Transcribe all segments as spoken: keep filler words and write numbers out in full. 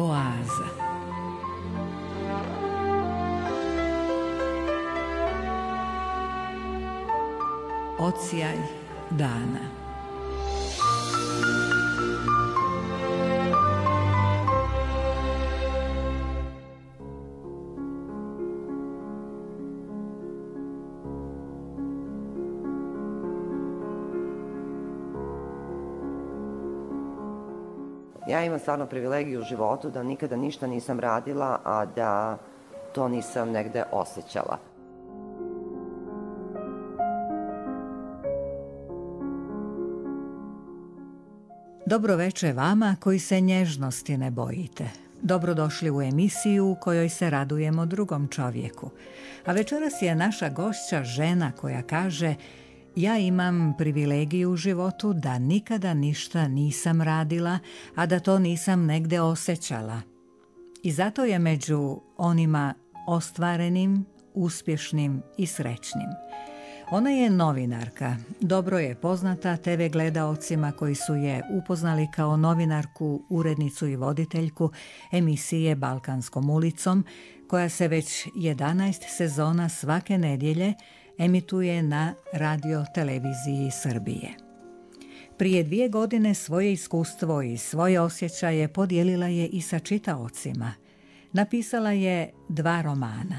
Oaza. Odsjaj dana. Ja imam stvarno privilegiju u životu da nikada ništa nisam radila, a da to nisam negde osjećala. Dobro veče vama koji se nježnosti ne bojite. Dobrodošli u emisiju u kojoj se radujemo drugom čovjeku. A večeras je naša gošća žena koja kaže: ja imam privilegiju u životu da nikada ništa nisam radila, a da to nisam negde osjećala. I zato je među onima ostvarenim, uspješnim i srećnim. Ona je novinarka, dobro je poznata te ve gledaocima koji su je upoznali kao novinarku, urednicu i voditeljku emisije Balkanskom ulicom, koja se već jedanaest sezona svake nedjelje emituje na radio televiziji Srbije. Prije dvije godine svoje iskustvo i svoje osjećaje podijelila je i sa čitaocima. Napisala je dva romana.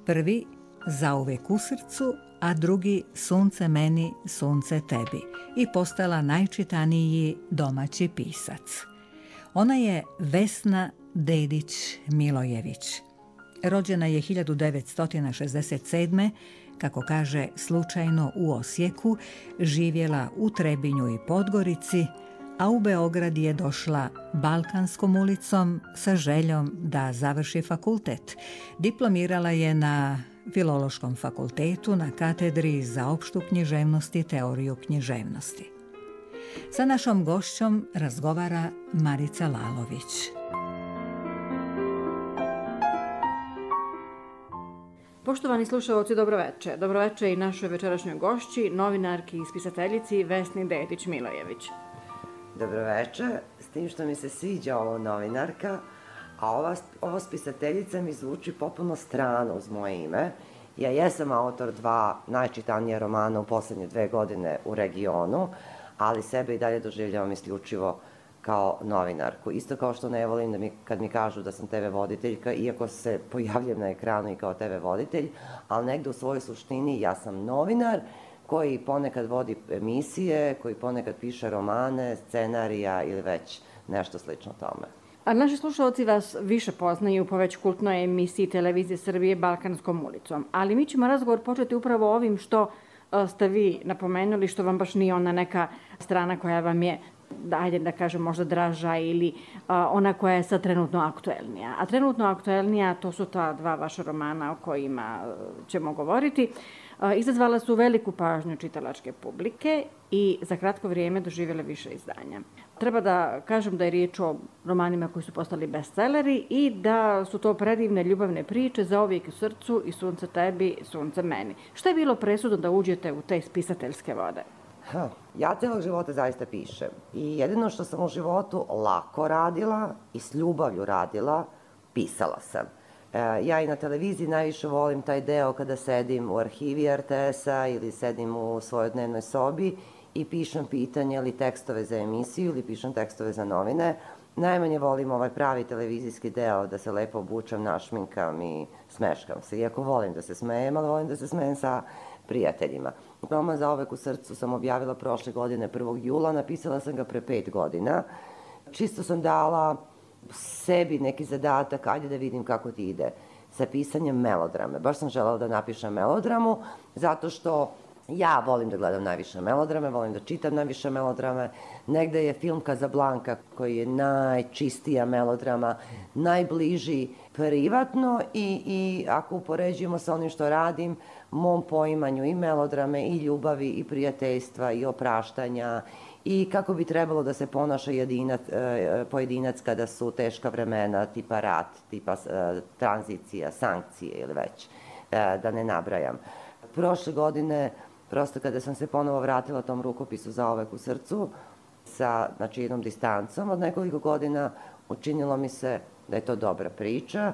Prvi Zauvek u srcu, a drugi Sunce meni, sunce tebi, i postala najčitaniji domaći pisac. Ona je Vesna Dedić-Milojević. Rođena je hiljadu devetsto šezdeset sedme. Kako kaže, slučajno u Osijeku, živjela u Trebinju i Podgorici, a u Beograd je došla Balkanskom ulicom sa željom da završi fakultet. Diplomirala je na Filološkom fakultetu na katedri za opštu književnost i teoriju književnosti. Sa našom gošćom razgovara Marica Lalović. Poštovani slušalci, dobroveče. Dobroveče i našoj večerašnjoj gošći, novinarki i spisateljici Vesni Dedić-Milojević. Dobroveče, s tim što mi se sviđa ovo novinarka, a ova, ovo spisateljica mi zvuči potpuno strano uz moje ime. Ja jesam autor dva najčitanija romana u posljednje dve godine u regionu, ali sebe i dalje doživljavam isključivo kao novinarku. Isto kao što ne volim da mi, kad mi kažu da sam te ve voditeljka, iako se pojavljam na ekranu i kao te ve voditelj, ali negde u svojoj suštini ja sam novinar koji ponekad vodi emisije, koji ponekad piše romane, scenarija ili već nešto slično tome. A naši slušalci vas više poznaju po već kultnoj emisiji televizije Srbije Balkanskom ulicom, ali mi ćemo razgovor početi upravo ovim što ste vi napomenuli, što vam baš nije ona neka strana koja vam je, ajde da kažem, možda draža ili a, ona koja je sad trenutno aktuelnija. A trenutno aktuelnija, to su ta dva vaša romana o kojima ćemo govoriti. A, izazvala su veliku pažnju čitalačke publike i za kratko vrijeme doživjele više izdanja. Treba da kažem da je riječ o romanima koji su postali bestselleri i da su to predivne ljubavne priče Zauvijek u srcu i Sunce tebi, sunce meni. Šta je bilo presudno da uđete u te spisateljske vode? Ha, ja celog života zaista pišem i jedino što sam u životu lako radila i s ljubavlju radila, pisala sam. E, ja i na televiziji najviše volim taj deo kada sedim u arhivi er te es-a ili sedim u svojoj dnevnoj sobi i pišem pitanje ili tekstove za emisiju ili pišem tekstove za novine. Najmanje volim ovaj pravi televizijski deo, da se lepo obučem, našminkam i smeškam se. Iako volim da se smejem, ali volim da se smejem sa prijateljima. Roman Zauvek u srcu sam objavila prošle godine prvog jula, napisala sam ga pre pet godina. Čisto sam dala sebi neki zadatak, ajde da vidim kako ti ide sa pisanjem melodrame. Baš sam želela da napišem melodramu, zato što ja volim da gledam najviše melodrame, volim da čitam najviše melodrame. Negde je film Casablanca, koji je najčistija melodrama, najbliži privatno i, i ako upoređujemo sa onim što radim, mom poimanju i melodrame, i ljubavi, i prijateljstva, i opraštanja, i kako bi trebalo da se ponaša jedinac, pojedinac kada su teška vremena, tipa rat, tipa tranzicija, sankcije ili već, da ne nabrajam. Prošle godine, prosto kada sam se ponovo vratila tom rukopisu Zauvek u srcu, sa znači, jednom distancom od nekoliko godina, učinilo mi se da je to dobra priča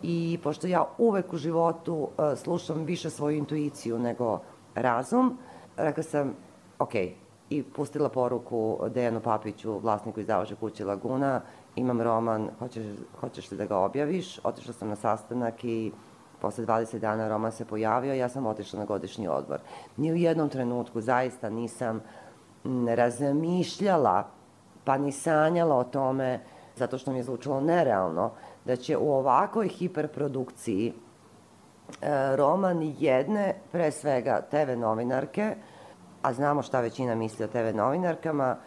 i pošto ja uvek u životu slušam više svoju intuiciju nego razum, rekla sam, ok, i pustila poruku Dejanu Papiću, vlasniku izdavačke kuće Laguna, imam roman, hoćeš, hoćeš li da ga objaviš? Otišla sam na sastanak i posle dvadeset dana roman se pojavio, ja sam otišla na godišnji odmor. Ni u jednom trenutku zaista nisam razmišljala, pa ni sanjala o tome, zato što mi je zvučalo nerealno, da će u ovakvoj hiperprodukciji roman jedne, pre svega, te ve novinarke, a znamo šta većina misli o te ve novinarkama,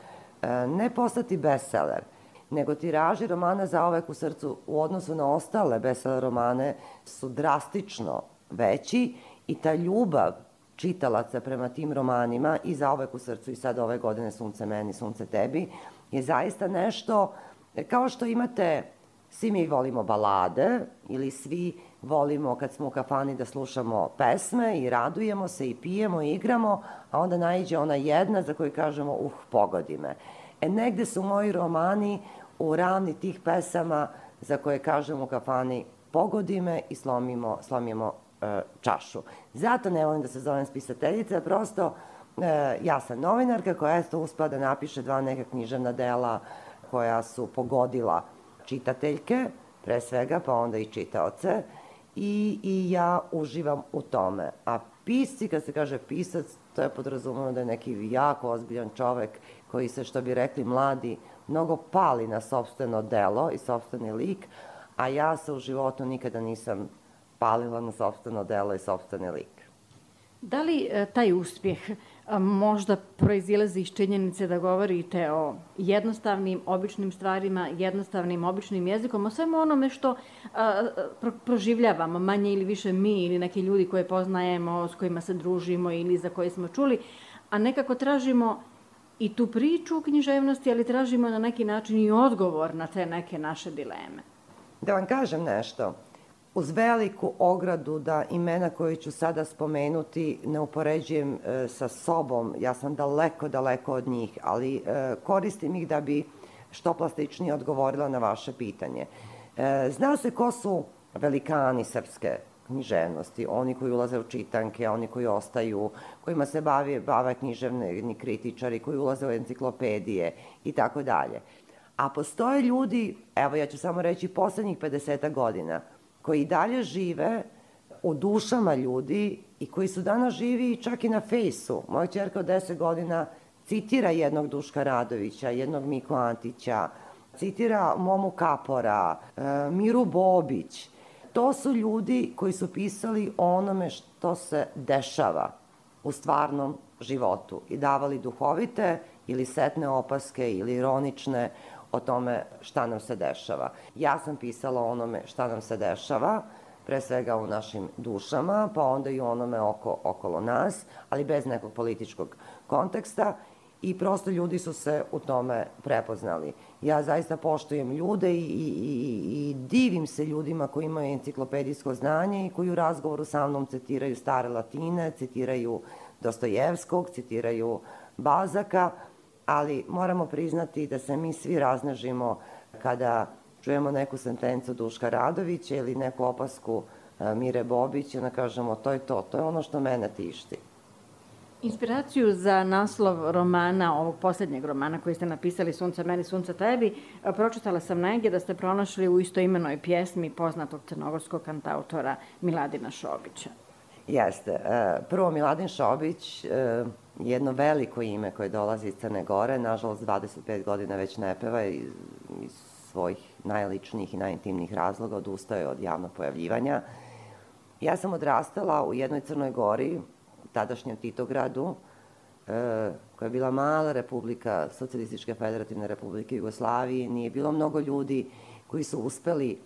ne postati bestseller, nego tiraži romana Zauvek u srcu u odnosu na ostale bestseller romane su drastično veći i ta ljubav čitalaca prema tim romanima i Zauvek u srcu i sad ove godine Sunce meni, Sunce tebi je zaista nešto kao što imate, svi mi volimo balade ili svi volimo kad smo u kafani da slušamo pesme i radujemo se i pijemo i igramo, a onda naiđe ona jedna za koju kažemo uh, pogodi me. E, negde su moji romani u ravni tih pesama za koje kažemo u kafani pogodi me i slomimo, slomimo e, čašu. Zato ne volim da se zovem spisateljica, prosto e, ja sam novinarka koja je to uspela da napiše dva neka književna dela koja su pogodila čitateljke, pre svega, pa onda i čitaoce, i, i ja uživam u tome. A pisci, kad se kaže pisac, to je podrazumeno da je neki jako ozbiljan čovek koji se, što bi rekli mladi, mnogo pali na sopstveno delo i sopstveni lik, a ja se u životu nikada nisam palila na sopstveno delo i sopstveni lik. Da li e, taj uspjeh a, možda proizilazi iz činjenice da govorite o jednostavnim, običnim stvarima, jednostavnim, običnim jezikom, o svemu onome što a, pro, proživljavamo, manje ili više mi ili neki ljudi koje poznajemo, s kojima se družimo ili za koje smo čuli, a nekako tražimo i tu priču u književnosti, ali tražimo na neki način i odgovor na te neke naše dileme. Da vam kažem nešto, uz veliku ogradu da imena koje ću sada spomenuti ne upoređujem e, sa sobom, ja sam daleko, daleko od njih, ali e, koristim ih da bi što plastičnije odgovorila na vaše pitanje. E, zna se ko su velikani srpske književnosti, oni koji ulaze u čitanke, oni koji ostaju, kojima se bave, bave književni kritičari, koji ulaze u enciklopedije i tako dalje. A postoje ljudi, evo ja ću samo reći poslednjih pedeset godina, koji dalje žive u dušama ljudi i koji su danas živi čak i na fejsu. Moja ćerka od deset godina citira jednog Duška Radovića, jednog Miku Antića, citira Momu Kapora, Miru Bobić. To su ljudi koji su pisali o onome što se dešava u stvarnom životu i davali duhovite ili setne opaske ili ironične o tome šta nam se dešava. Ja sam pisala o onome šta nam se dešava, pre svega u našim dušama, pa onda i onome oko, okolo nas, ali bez nekog političkog konteksta i prosto ljudi su se u tome prepoznali. Ja zaista poštujem ljude i, i, i, i divim se ljudima koji imaju enciklopedijsko znanje i koji u razgovoru sa mnom citiraju stare latine, citiraju Dostojevskog, citiraju Balzaka, ali moramo priznati da se mi svi raznežimo kada čujemo neku sentencu Duška Radovića ili neku opasku Mire Bobić i onda kažemo to je to, to je ono što mene tišti. Inspiraciju za naslov romana, ovog posljednjeg romana koji ste napisali Sunce meni, Sunce tebi, pročitala sam negdje da ste pronašli u istoimenoj pjesmi poznatog crnogorskog kantautora Miladina Šobića. Jeste. Prvo, Miladin Šobić, jedno veliko ime koje dolazi iz Crne Gore, nažalost dvadeset pet godina već ne peva i iz svojih najličnijih i najintimnijih razloga odustaje od javnog pojavljivanja. Ja sam odrastala u jednoj Crnoj Gori, tadašnjem Titogradu, koja je bila mala republika Socijalističke federativne republike Jugoslavije. Nije bilo mnogo ljudi koji su uspeli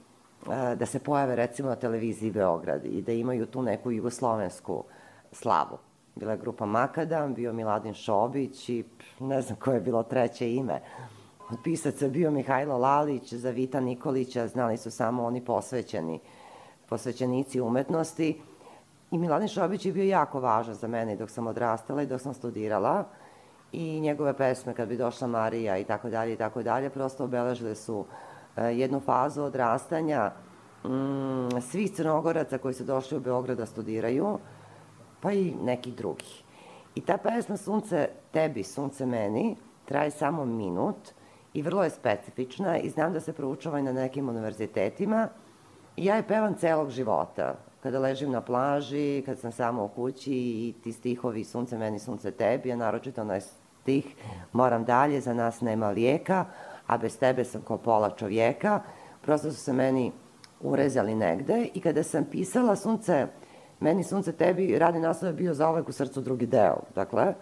da se pojave recimo na televiziji Beograd i da imaju tu neku jugoslovensku slavu. Bila je grupa Makadam, bio Miladin Šobić i ne znam koje je bilo treće ime. Od pisaca je bio Mihajlo Lalić, za Vita Nikolića znali su samo oni posvećeni, posvećenici umetnosti. I Miladin Šobić je bio jako važan za mene dok sam odrastala i dok sam studirala. I njegove pesme, kad bi došla Marija i tako dalje i tako dalje, prosto obeležile su jednu fazu odrastanja svih Crnogoraca koji su došli u Beograd da studiraju, pa i nekih drugih. I ta pesma Sunce tebi, sunce meni traje samo minut i vrlo je specifična i znam da se proučava i na nekim univerzitetima. I ja je pevam celog života. Kada ležim na plaži, kad sam sama u kući i ti stihovi Sunce meni, sunce tebi, a naročito onaj stih moram dalje, za nas nema lijeka, a bez tebe sam ko pola čovjeka. Prosto su se meni urezali negde i kada sam pisala Sunce meni, sunce tebi, radni naslov je bio Zauvek u srcu drugi deo. Dakle,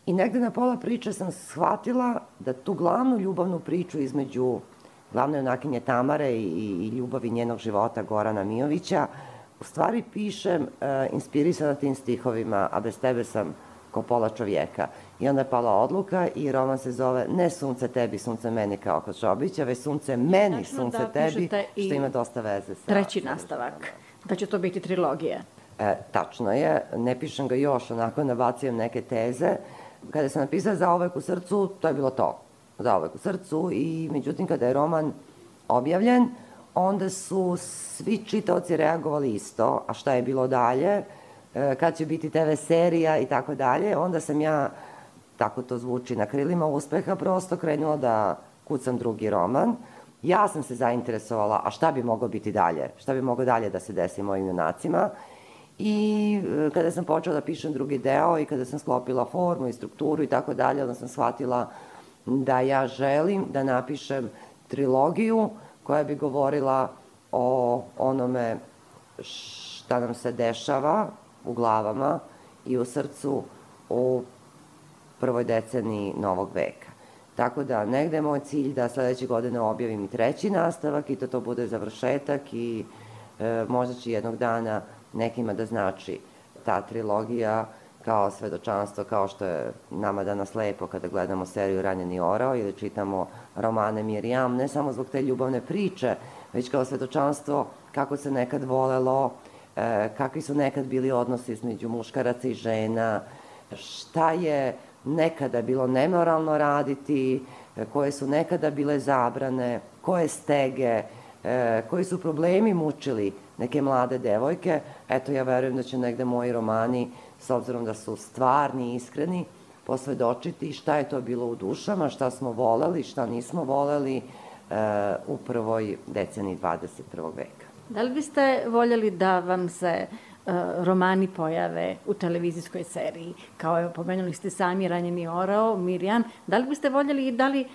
i negde na pola priče sam shvatila da tu glavnu ljubavnu priču između glavne junakinje Tamare i, i ljubavi njenog života Gorana Mijovića u stvari pišem e, inspirisana tim stihovima, a bez tebe sam ko pola čovjeka. I onda je pala odluka i roman se zove ne Sunce tebi, sunce meni kao kod Šobića, već Sunce meni, sunce tebi, što ima dosta veze sa... Treći nastavak, da će to biti trilogija. E, tačno je, ne pišem ga još, onako nabacujem neke teze. Kada sam napisala Zauvek u srcu, to je bilo to. Zauvek u srcu i međutim kada je roman objavljen, onda su svi čitaoci reagovali isto, a šta je bilo dalje, kad će biti te ve serija i tako dalje, onda sam ja, tako to zvuči, na krilima uspeha prosto krenula da kucam drugi roman. Ja sam se zainteresovala, a šta bi moglo biti dalje, šta bi moglo dalje da se desi mojim junacima. I kada sam počela da pišem drugi deo i kada sam sklopila formu i strukturu i tako dalje, onda sam shvatila da ja želim da napišem trilogiju koja bi govorila o onome šta nam se dešava u glavama i u srcu u prvoj deceniji novog veka. Tako da negde je moj cilj da sledeće godine objavim i treći nastavak i da to bude završetak i e, možda će jednog dana nekima da znači ta trilogija kao svedočanstvo, kao što je nama danas lepo kada gledamo seriju Ranjeni orao ili čitamo romane Mirjam, ne samo zbog te ljubavne priče, već kao svedočanstvo kako se nekad volelo, e, kakvi su nekad bili odnosi između muškaraca i žena, šta je nekada bilo nemoralno raditi, e, koje su nekada bile zabrane, koje stege, e, koji su problemi mučili neke mlade devojke. Eto, ja verujem da će negde moji romani, s obzirom da su stvarni i iskreni, posvedočiti šta je to bilo u dušama, šta smo voleli, šta nismo voleli e, u prvoj deceniji dvadeset prvog veka. Da li biste voljeli da vam se e, romani pojave u televizijskoj seriji? Kao je, pomenuli ste sami Ranjeni orao, Mirjam. Da li biste voljeli i da li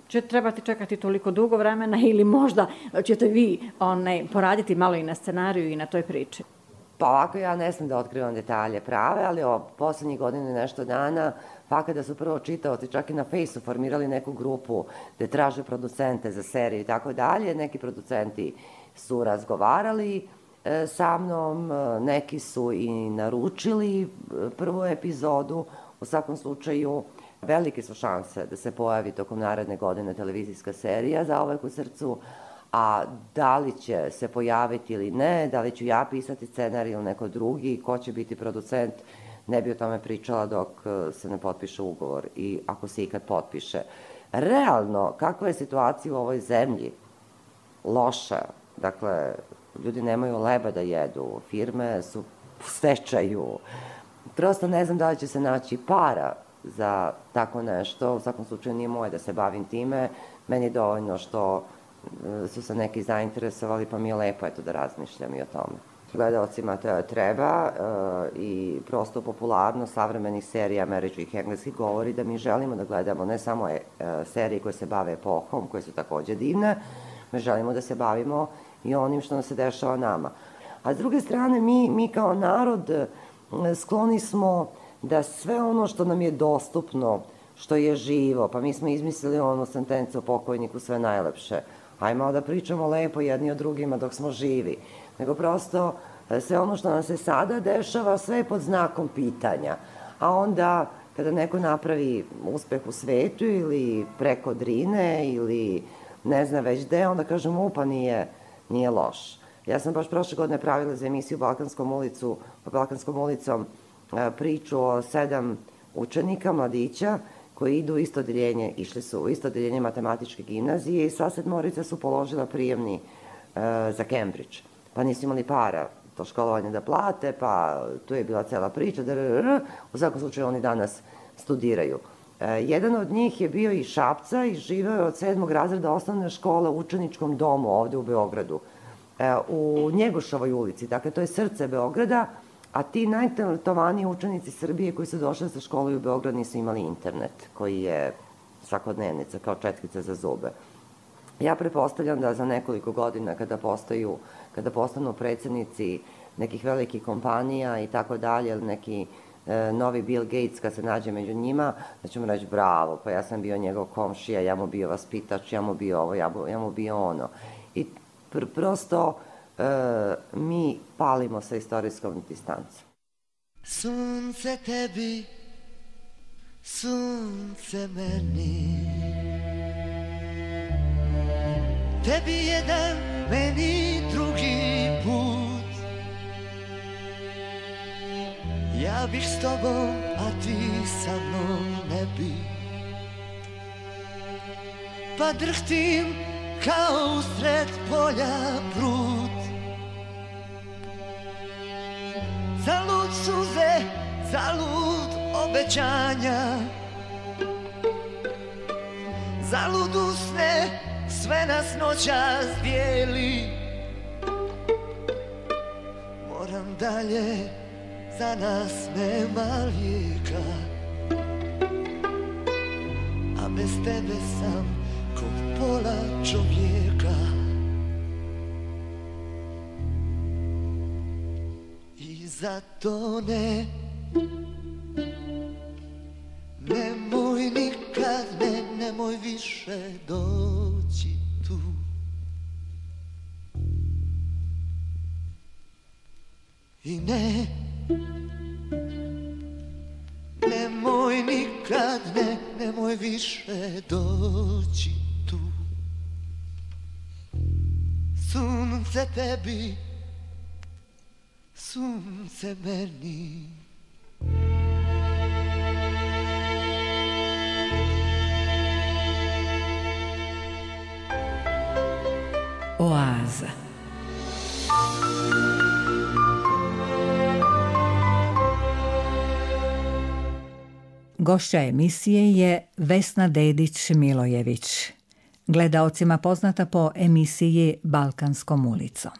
će trebati čekati toliko dugo vremena ili možda ćete vi onaj, poraditi malo i na scenariju i na toj priči? Pa ovako ja ne smem da otkrivam detalje prave, ali o poslednjih godina i nešto dana, pa kada su prvo čitaoci čak i na Fejsu formirali neku grupu gde traže producente za seriju i tako dalje, neki producenti su razgovarali e, sa mnom, neki su i naručili prvu epizodu, u svakom slučaju velike su šanse da se pojavi tokom naredne godine televizijska serija Zauvek u srcu, a da li će se pojaviti ili ne, da li ću ja pisati scenarij ili neko drugi, ko će biti producent, ne bi o tome pričala dok se ne potpiše ugovor i ako se ikad potpiše. Realno, kakva je situacija u ovoj zemlji? Loša. Dakle, ljudi nemaju leba da jedu, firme su u stečaju. Prosto ne znam da li će se naći para za tako nešto. U svakom slučaju nije moje da se bavim time. Meni je dovoljno što su se neki zainteresovali, pa mi je lepo eto da razmišljam i o tome. Gledalcima to treba i prosto popularnost savremenih serija američkih i engleskih govori da mi želimo da gledamo ne samo serije koje se bave epohom, koje su takođe divne, mi želimo da se bavimo i onim što nam se dešava nama. A s druge strane, mi, mi kao narod skloni smo da sve ono što nam je dostupno, što je živo, pa mi smo izmislili onu sentencu o pokojniku sve najlepše, hajmo da pričamo lepo jedni o drugima dok smo živi, nego prosto sve ono što nam se sada dešava, sve je pod znakom pitanja. A onda, kada neko napravi uspeh u svetu ili preko Drine ili ne zna već gde, onda kažemo, upa, nije, nije loš. Ja sam baš prošle godine pravila za emisiju Balkanskom ulicu, Balkanskom ulicom priču o sedam učenika, mladića, koji idu u isto odeljenje, išli su u isto odeljenje matematičke gimnazije i sva sedmorica su položila prijemni e, za Cambridge. Pa nisu imali para to školovanje da plate, pa tu je bila cela priča, da, u svakom slučaju oni danas studiraju. E, jedan od njih je bio iz Šapca i živeo je od sedmog razreda osnovne škole u učeničkom domu ovde u Beogradu, e, u Njegošovoj ulici, dakle to je srce Beograda, a ti najtalentovaniji učenici Srbije koji su došli da se školuju u Beograd nisu imali internet, koji je svakodnevnica, kao četkica za zube. Ja pretpostavljam da za nekoliko godina kada postaju, kada postanu predsednici nekih velikih kompanija i tako dalje, neki e, novi Bill Gates kad se nađe među njima, da ćemo reći bravo, pa ja sam bio njegov komšija, ja mu bio vaspitač, ja mu bio ovo, ja mu, ja mu bio ono. I pr prosto e, mi palimo sa istorijskom distancom. Sunce tebi, sunce meni, tebi jedan, meni drugi put. Ja bih s tobom, a ti sa mnom ne bi. Pa drhtim kao usred polja prut. Zalud suze, zalud obećanja, zalud usne, sve nas noćas dijeli. Moram dalje, za nas nema lijeka, a bez tebe sam ko pola čovjeka. I zato ne, nemoj nikad, ne, nemoj više doći tu. I ne, nemoj nikad, ne, nemoj više doći tu. Sunce tebi, sunce meni. Oaza. Gošća emisije je Vesna Dedić-Milojević, gledaocima poznata po emisiji Balkanskom ulicom.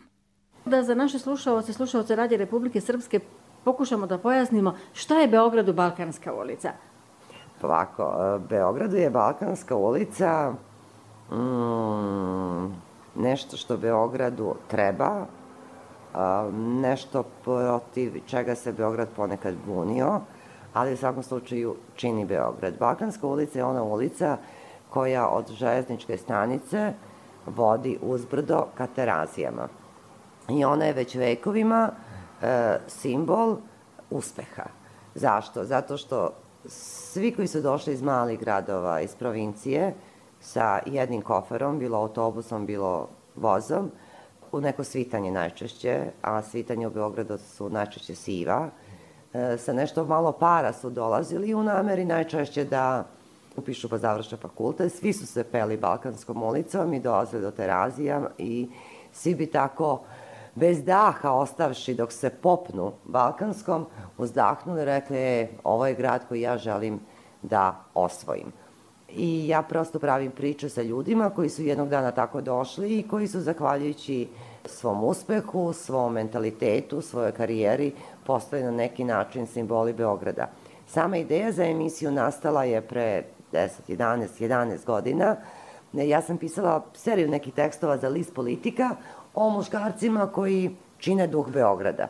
Da za naše slušaoce, slušaoce Radija Republike Srpske pokušamo da pojasnimo šta je Beogradu Balkanska ulica. Ovako, Beogradu je Balkanska ulica mm, nešto što Beogradu treba, nešto protiv čega se Beograd ponekad bunio, ali u svakom slučaju čini Beograd. Balkanska ulica je ona ulica koja od železničke stanice vodi uzbrdo ka Terazijama. I ona je već vekovima e, simbol uspeha. Zašto? Zato što svi koji su došli iz malih gradova, iz provincije, sa jednim koferom, bilo autobusom, bilo vozom, u neko svitanje najčešće, a svitanje u Beogradu su najčešće siva, e, sa nešto malo para su dolazili u nameri najčešće da upišu pa završe fakultet. Svi su se peli Balkanskom ulicom i dolazili do Terazija i svi bi tako bez daha ostavši dok se popnu Balkanskom, uzdahnuli i rekli, e, ovo je grad koji ja želim da osvojim. I ja prosto pravim priče sa ljudima koji su jednog dana tako došli i koji su, zahvaljujući svom uspehu, svom mentalitetu, svojoj karijeri, postali na neki način simboli Beograda. Sama ideja za emisiju nastala je pre deset, jedanaest, jedanaest godina. Ja sam pisala seriju nekih tekstova za list Politika o muškarcima koji čine duh Beograda.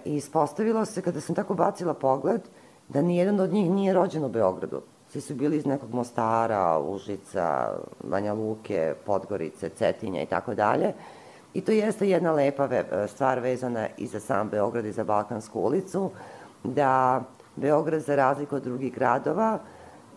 I ispostavilo se, kada sam tako bacila pogled, da nijedan od njih nije rođen u Beogradu. Svi su bili iz nekog Mostara, Užica, Banja Luke, Podgorice, Cetinja i tako dalje. I to jeste jedna lepa stvar vezana i za sam Beograd i za Balkansku ulicu, da Beograd, za razliku od drugih gradova,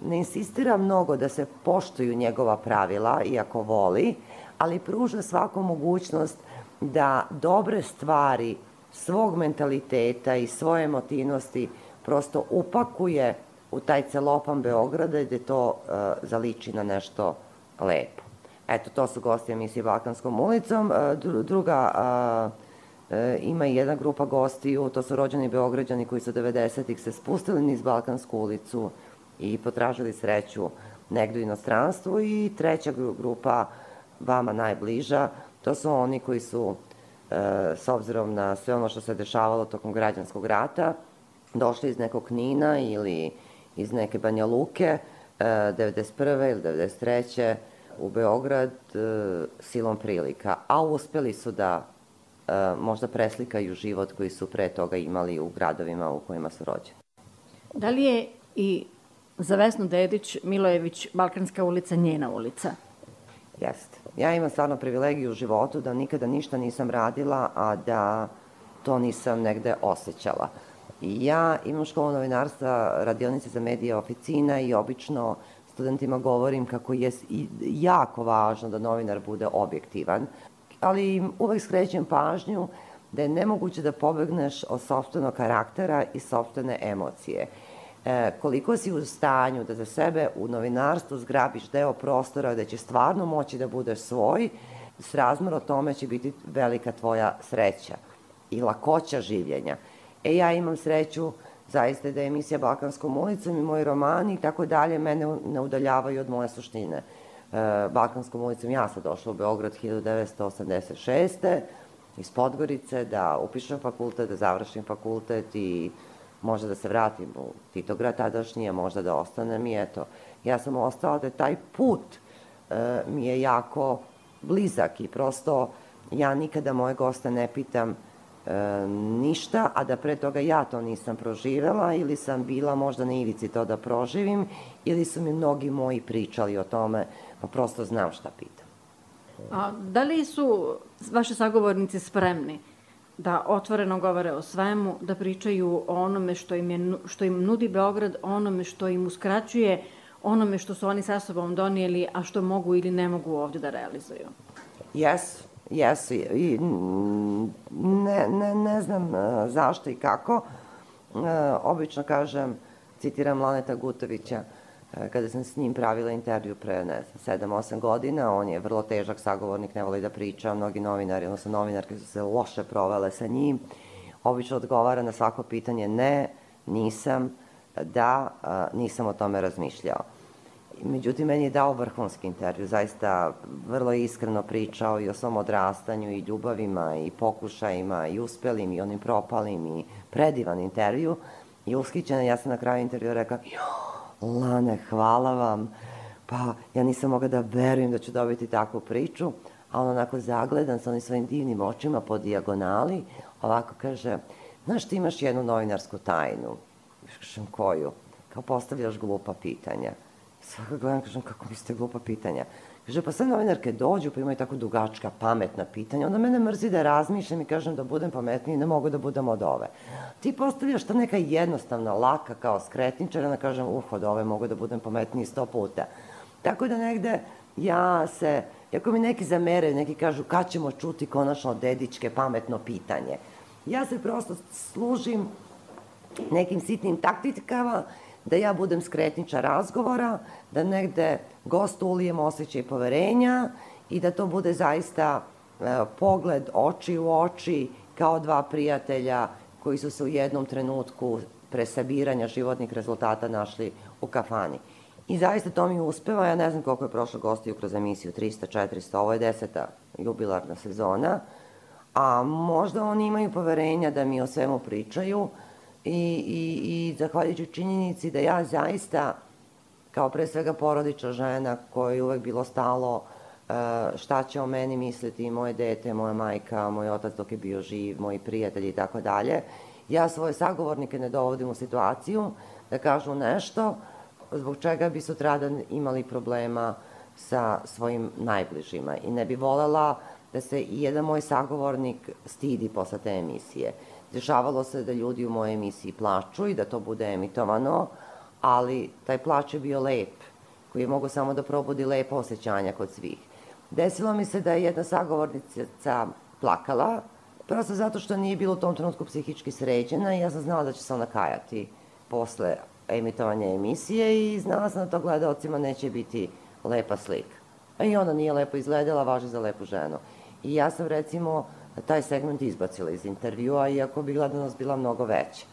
ne insistira mnogo da se poštuju njegova pravila, iako voli, ali pruža svaku mogućnost da dobre stvari svog mentaliteta i svoje emotivnosti prosto upakuje u taj celopan Beograda gde to uh, zaliči na nešto lepo. Eto, to su gosti emisije Balkanskom ulicom. Uh, druga, uh, uh, ima i jedna grupa gostiju, to su rođeni Beograđani koji su devedesetih se spustili niz Balkansku ulicu i potražili sreću negdje u inostranstvu, i treća grupa, vama najbliža, to su oni koji su, e, s obzirom na sve ono što se dešavalo tokom građanskog rata, došli iz nekog Knina ili iz neke Banja Luke, e, devedeset prve ili devedeset treće u Beograd e, silom prilika, a uspeli su da e, možda preslikaju život koji su pre toga imali u gradovima u kojima su rođeni. Da li je i za Vesnu Dedić Milojević Balkanska ulica njena ulica? Jeste. Ja imam stvarno privilegiju u životu da nikada ništa nisam radila, a da to nisam negde osjećala. I ja imam školu novinarstva, radionice za medije, oficina, i obično studentima govorim kako je jako važno da novinar bude objektivan, ali im uvek skrećem pažnju da je nemoguće da pobegneš od sopstvenog karaktera i sopstvene emocije. E, koliko si u stanju da za sebe u novinarstvu zgrabiš deo prostora gde će stvarno moći da budeš svoj, srazmjerno tome će biti velika tvoja sreća i lakoća življenja. E, ja imam sreću zaista da je emisija Balkanskom ulicom i moji romani i tako dalje mene ne udaljavaju od moje suštine. E, Balkanskom ulicom ja sam došla u Beograd hiljadu devetsto osamdeset šeste iz Podgorice, da upišem fakultet, da završim fakultet i možda da se vratim u Titograd tadašnji, a možda da ostanem, i eto, ja sam ostala da taj put e, mi je jako blizak i prosto ja nikada moje goste ne pitam e, ništa, a da pre toga ja to nisam proživela ili sam bila možda na ivici to da proživim, ili su mi mnogi moji pričali o tome, pa prosto znam šta pitam. A da li su vaši sagovornici spremni da otvoreno govore o svemu, da pričaju o onome što im, je, što im nudi Beograd, onome što im uskraćuje, onome što su oni sa sobom donijeli, a što mogu ili ne mogu ovdje da realizuju? Jesu, jesu. I ne, ne, ne znam zašto i kako. Obično kažem, citiram Laneta Gutovića, kada sam s njim pravila intervju pre, ne znam, sedam osam godina, on je vrlo težak sagovornik, ne voli da priča, mnogi novinari, odnosno novinarke su se loše provele sa njim, obično odgovara na svako pitanje ne, nisam, da, nisam o tome razmišljao. Međutim, meni je dao vrhunski intervju, zaista vrlo iskreno pričao i o svom odrastanju i ljubavima i pokušajima i uspelim i onim propalim i predivan intervju, i ushićena, ja sam na kraju intervjua rekla, Lane, hvala vam, pa ja nisam mogla da verujem da ću dobiti takvu priču, a on onako zagledan sa onim svojim divnim očima po dijagonali, ovako kaže, znaš, ti imaš jednu novinarsku tajnu. Kažem, koju? Kao postavljaš glupa pitanja. Svaka gledam, kažem, kako mislite glupa pitanja? Kaže, pa sve novinarke dođu, pa imaju tako dugačka, pametna pitanja, onda mene mrzi da razmišljam i kažem da budem pametniji, ne mogu da budem od ove. Ti postavljaš ta neka jednostavna, laka, kao skretničar, onda kažem, uh, od ove mogu da budem pametniji sto puta. Tako da negde ja se, ako mi neki zameraju, neki kažu, kad ćemo čuti konačno Dedićke pametno pitanje, ja se prosto služim nekim sitnim taktikama, da ja budem skretničar razgovora, da negde gostu ulijem osjećaj poverenja i da to bude zaista e, pogled oči u oči, kao dva prijatelja koji su se u jednom trenutku pre sabiranja životnih rezultata našli u kafani. I zaista to mi uspeva, ja ne znam koliko je prošlo gostiju kroz emisiju, trista, četiristo, ovo je deseta jubilarna sezona, a možda oni imaju poverenja da mi o svemu pričaju, I, i, i zahvaljujući činjenici da ja zaista, kao pre svega porodična žena kojoj je uvek bilo stalo šta će o meni misliti moje dete, moja majka, moj otac dok je bio živ, moji prijatelji i tako dalje, ja svoje sagovornike ne dovodim u situaciju da kažu nešto zbog čega bi sutradan imali problema sa svojim najbližima. I ne bi volela da se i jedan moj sagovornik stidi posle te emisije. Dešavalo se da ljudi u mojoj emisiji plaču i da to bude emitovano, ali taj plač je bio lep, koji je mogao samo da probudi lepo osjećanja kod svih. Desilo mi se da je jedna sagovornica plakala, prosto zato što nije bilo u tom trenutku psihički sređena i ja sam znala da će se ona kajati posle emitovanja emisije i znala sam da to gledalcima neće biti lepa slika. I ona nije lepo izgledala, važi za lepu ženu. I ja sam recimo taj segment izbacila iz intervjua, iako bi gledanost bila mnogo veća.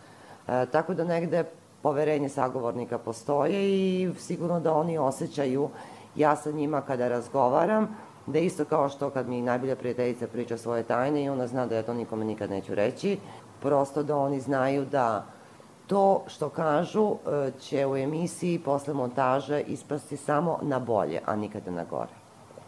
E, tako da negde poverenje sagovornika postoje i sigurno da oni osjećaju, ja sa njima kada razgovaram, da isto kao što kad mi najbolja prijateljica priča svoje tajne i ona zna da ja to nikome nikad neću reći, prosto da oni znaju da to što kažu će u emisiji posle montaže ispasti samo na bolje, a nikada na gore.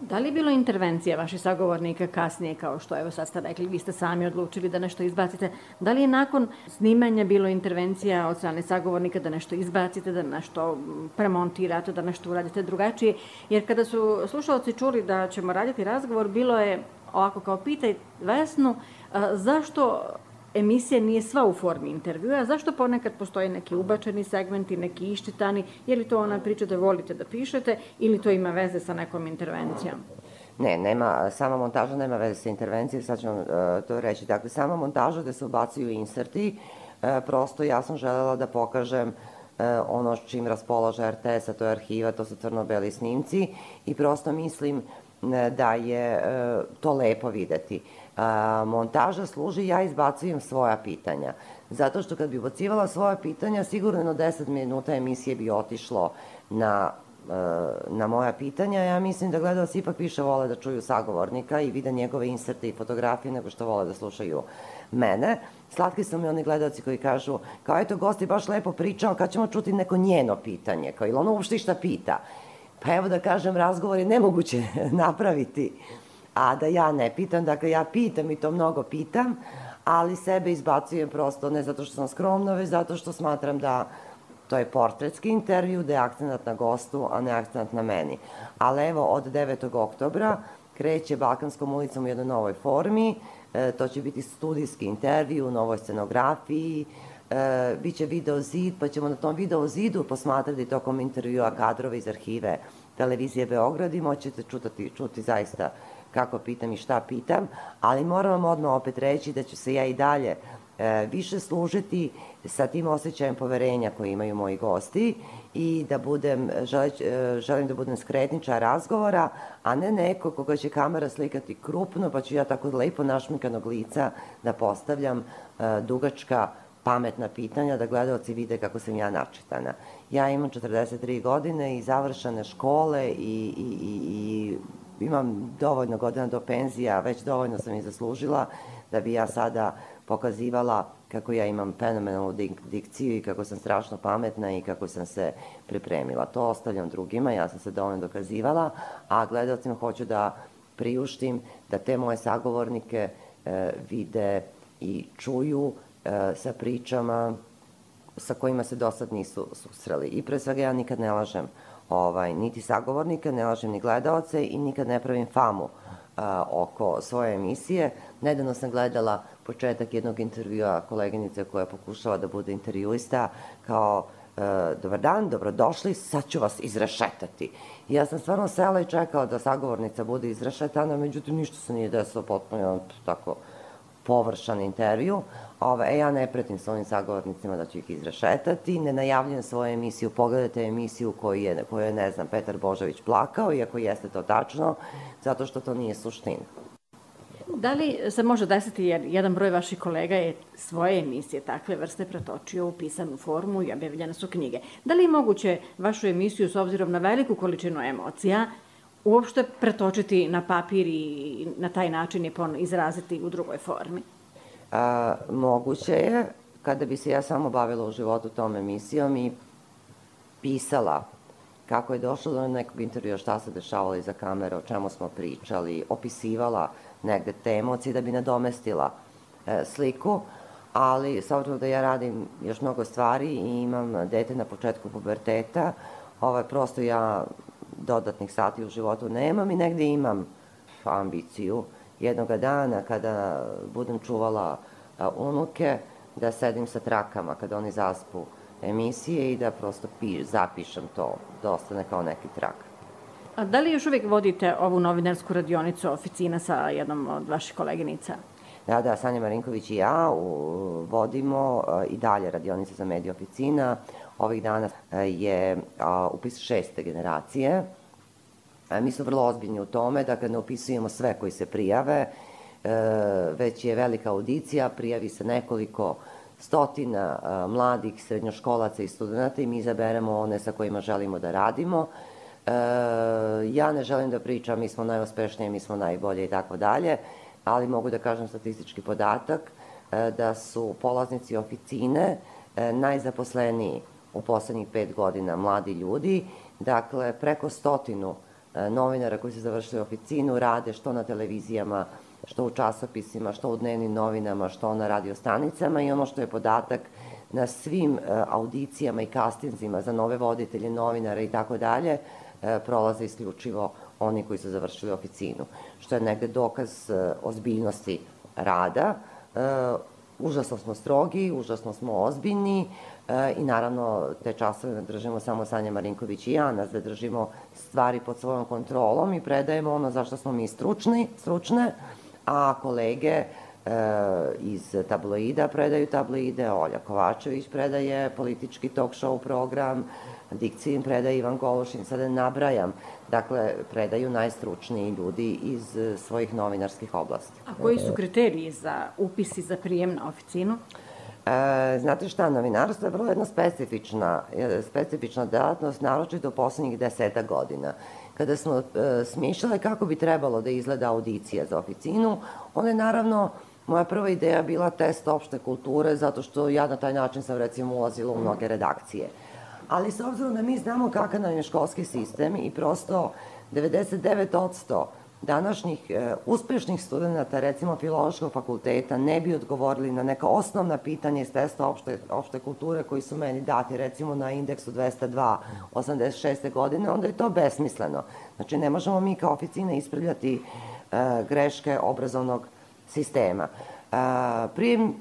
Da li je bilo intervencija vaših sagovornika kasnije, kao što evo sad ste rekli, vi ste sami odlučili da nešto izbacite, da li je nakon snimanja bilo intervencija od strane sagovornika da nešto izbacite, da nešto premontirate, da nešto uradite drugačije, jer kada su slušalci čuli da ćemo raditi razgovor, bilo je ovako kao pitaj Vesnu, zašto emisija nije sva u formi intervjua, zašto ponekad postoje neki ubačeni segmenti, neki iščitani, je li to ona priča da volite da pišete ili to ima veze sa nekom intervencijom? Ne, nema, sama montaža nema veze sa intervencijom, sad ću vam uh, to reći. Dakle, sama montaža gde se ubacuju inserti, uh, prosto ja sam želela da pokažem uh, ono čim raspolaže R T S, a to je arhiva, to su crno-beli snimci i prosto mislim uh, da je uh, to lepo videti. A, montaža služi, ja izbacujem svoja pitanja. Zato što kad bi ubacivala svoja pitanja, sigurno jedno deset minuta emisije bi otišlo na, na moja pitanja. Ja mislim da gledalci ipak više vole da čuju sagovornika i vide njegove inserte i fotografije nego što vole da slušaju mene. Slatki su mi oni gledalci koji kažu, kao eto, gost je baš lepo pričao, kad ćemo čuti neko njeno pitanje, kao ili ono uopšte šta pita. Pa evo da kažem, razgovor je nemoguće napraviti a da ja ne pitam, dakle ja pitam i to mnogo pitam, ali sebe izbacujem prosto ne zato što sam skromna, već zato što smatram da to je portretski intervju, da je akcenat na gostu, a ne akcenat na meni. Ali evo, od devetog oktobra kreće Balkanskom ulicom u jednoj novoj formi, e, to će biti studijski intervju u novoj scenografiji, e, biće video zid, pa ćemo na tom video zidu posmatrati tokom intervjua kadrove iz arhive Televizije Beograd i moćete čutati, čuti zaista kako pitam i šta pitam, ali moram vam odmah opet reći da ću se ja i dalje e, više služiti sa tim osjećajem poverenja koji imaju moji gosti i da budem, želeć, e, želim da budem skretničar razgovora, a ne neko koga će kamera slikati krupno, pa ću ja tako lepo našminkanog lica da postavljam e, dugačka pametna pitanja, da gledalci vide kako sam ja načitana. Ja imam četrdeset tri godine i završene škole i, i, i, i imam dovoljno godina do penzija, već dovoljno sam i zaslužila da bi ja sada pokazivala kako ja imam fenomenalnu dik dikciju i kako sam strašno pametna i kako sam se pripremila. To ostavljam drugima, ja sam se dovoljno dokazivala, a gledalcima hoću da priuštim da te moje sagovornike e, vide i čuju e, sa pričama sa kojima se do sad nisu susreli. I pre svega ja nikad ne lažem Ovaj, niti sagovornika, ne lažem ni gledalce i nikad ne pravim famu a, oko svoje emisije. Nedavno sam gledala početak jednog intervjua koleginice koja pokušava da bude intervjuista kao e, dobar dan, dobrodošli, sad ću vas izrešetati. I ja sam stvarno sela i čekala da sagovornica bude izrešetana, međutim ništa se nije desilo, potpuno tako površan intervju. Ove, ja ne pretim s ovim sagovornicima da ću ih izrešetati, ne najavljujem svoju emisiju, pogledajte emisiju koju je, koju je, ne znam, Petar Božović plakao, iako jeste to tačno, zato što to nije suština. Da li se može desiti, jer jedan broj vaših kolega je svoje emisije takve vrste pretočio u pisanu formu i objavljene su knjige. Da li je moguće vašu emisiju, s obzirom na veliku količinu emocija, uopšte pretočiti na papir i na taj način je izraziti u drugoj formi? A, moguće je, kada bi se ja samo bavila u životu tom emisijom i pisala kako je došlo do nekog intervjua, šta se dešavalo iza kamere, o čemu smo pričali, opisivala negde te emocije da bi nadomestila e, sliku, ali s obzirom da ja radim još mnogo stvari i imam dete na početku puberteta, ovaj, prosto ja dodatnih sati u životu nemam i negde imam ambiciju jednoga dana kada budem čuvala a, unuke, da sedim sa trakama kada oni zaspu emisije i da prosto pi, zapišem to, da ostane kao neki trak. A da li još uvijek vodite ovu novinarsku radionicu Oficina sa jednom od vaših koleginica? Da, da, Sanja Marinković i ja u, vodimo a, i dalje radionice za medije oficina. Ovih dana a, je a, upis šeste generacije. A, mi smo vrlo ozbiljni u tome da kad ne upisujemo sve koji se prijave, e, već je velika audicija, prijavi se nekoliko stotina a, mladih srednjoškolaca i studenta i mi izaberemo one sa kojima želimo da radimo. E, ja ne želim da pričam mi smo najuspešniji, mi smo najbolje i tako dalje, ali mogu da kažem statistički podatak e, da su polaznici oficine e, najzaposleniji u poslednjih pet godina mladi ljudi. Dakle, preko stotinu e, novinara koji su završili oficinu rade što na televizijama, što u časopisima, što u dnevnim novinama, što na radiostanicama i ono što je podatak na svim e, audicijama i kastinzima za nove voditelje, novinara i tako dalje, prolaze isključivo oni koji su završili oficinu, što je negde dokaz ozbiljnosti rada. Užasno smo strogi, užasno smo ozbiljni i naravno te časove ne držimo samo Sanja Marinković i ja, nas da držimo stvari pod svojom kontrolom i predajemo ono za što smo mi stručni, stručne, a kolege iz tabloida predaju tabloide, Olja Kovačević predaje politički talk show program, dikcijim predaje Ivan Golušin, sada ne nabrajam, dakle, predaju najstručniji ljudi iz svojih novinarskih oblasti. A koji su kriteriji za upis i za prijem na oficinu? E, znate šta, novinarstvo je vrlo jedna specifična, specifična delatnost, naročito u poslednjih deseta godina. Kada smo e, smišljale kako bi trebalo da izgleda audicija za oficinu, ona je naravno, moja prva ideja bila test opšte kulture, zato što ja na taj način sam recimo ulazila u mnoge redakcije. Ali s obzirom da mi znamo kakav nam je školski sistem i prosto devedeset devet posto današnjih e, uspešnih studenta, recimo Filološkog fakulteta, ne bi odgovorili na neka osnovna pitanja iz testa opšte, opšte kulture koji su meni dati, recimo na indeksu dvesta dva osamdeset šeste godine, onda je to besmisleno. Znači, ne možemo mi kao oficina ispravljati e, greške obrazovnog sistema. E, prijem e,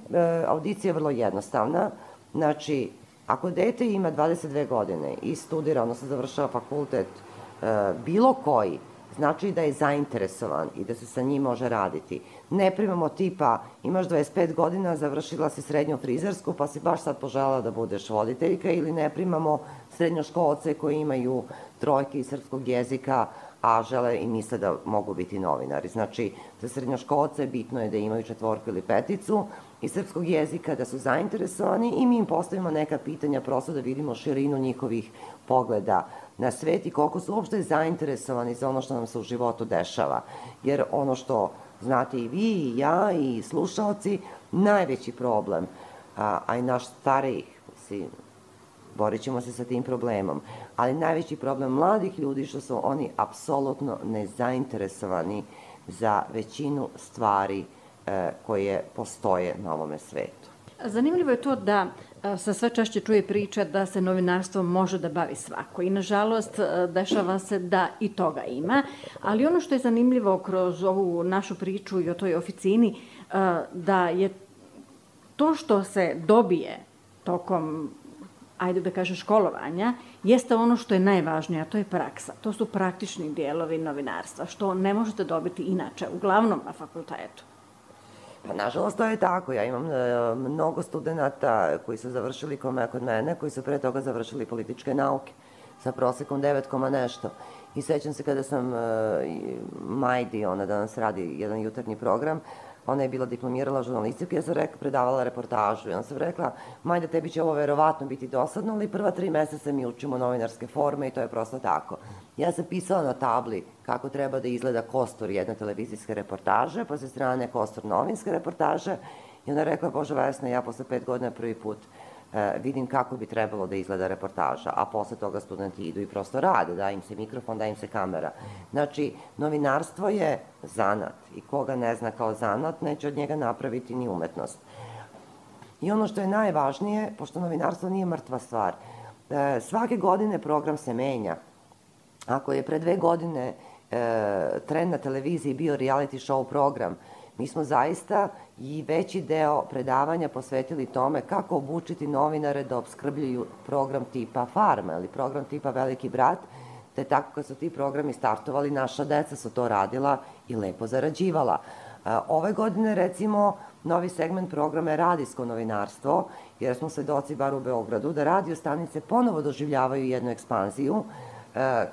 audicije je vrlo jednostavna. Znači, ako dete ima dvadeset dve godine i studira, odnosno završava fakultet e, bilo koji, znači da je zainteresovan i da se sa njim može raditi. Ne primamo tipa, imaš dvadeset pet godina, završila si srednju frizersku, pa si baš sad poželjela da budeš voditeljka, ili ne primamo srednjoškolce koji imaju trojke iz srpskog jezika, a žele i misle da mogu biti novinari. Znači, za srednjoškolce bitno je da imaju četvorku ili peticu iz srpskog jezika, da su zainteresovani i mi im postavimo neka pitanja prosto da vidimo širinu njihovih pogleda na svet i koliko su uopšte zainteresovani za ono što nam se u životu dešava. Jer ono što znate i vi, i ja, i slušalci, najveći problem, a, a i naš starijih, mislim, borit ćemo se sa tim problemom, ali najveći problem mladih ljudi što su oni apsolutno nezainteresovani za većinu stvari e, koje postoje na ovome svetu. Zanimljivo je to da se sve češće čuje priča da se novinarstvom može da bavi svako i nažalost dešava se da i toga ima, ali ono što je zanimljivo kroz ovu našu priču i o toj oficini, da je to što se dobije tokom, ajde da kažem, školovanja, jeste ono što je najvažnije, a to je praksa. To su praktični dijelovi novinarstva, što ne možete dobiti inače, uglavnom na fakultetu. Pa, nažalost, to je tako. Ja imam e, mnogo studenta koji su završili kod mene, koji su pre toga završili političke nauke sa prosekom devet koma nešto. I sećam se kada sam e, Majdi, ona danas radi jedan jutarnji program, ona je bila diplomirala žurnalistiku, ja sam rekla, predavala reportažu i ona sam rekla, Majda, tebi će ovo verovatno biti dosadno, ali prva tri meseca mi učimo novinarske forme i to je prosto tako. Ja sam pisala na tabli kako treba da izgleda kostur jedne televizijske reportaže, pa sa strane kostur novinske reportaže i ona rekla, Bože Vesna, ja posle pet godina prvi put e, vidim kako bi trebalo da izgleda reportaža, a posle toga studenti idu i prosto rade, da im se mikrofon, da im se kamera. Znači, novinarstvo je zanat i koga ne zna kao zanat, neće od njega napraviti ni umetnost. I ono što je najvažnije, pošto novinarstvo nije mrtva stvar, e, svake godine program se menja. Ako je pre dve godine e, trend na televiziji bio reality show program, mi smo zaista i veći deo predavanja posvetili tome kako obučiti novinare da obskrbljuju program tipa Farma ili program tipa Veliki brat, te tako kad su ti programi startovali, naša deca su to radila i lepo zarađivala. Ove godine, recimo, novi segment programa je radijsko novinarstvo, jer smo svedoci, bar u Beogradu, da radio stanice ponovo doživljavaju jednu ekspanziju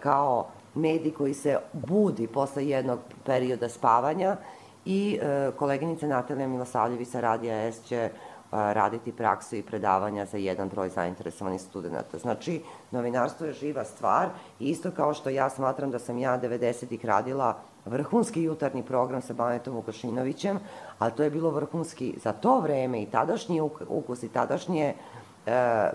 kao medij koji se budi posle jednog perioda spavanja i koleginica Natalija Milosavljević sa Radija S će raditi praksu i predavanja za jedan broj zainteresovanih studenta. Znači, novinarstvo je živa stvar i isto kao što ja smatram da sam ja devedesetih radila vrhunski jutarnji program sa Banetom Vukašinovićem, ali to je bilo vrhunski za to vreme i tadašnji ukus i tadašnje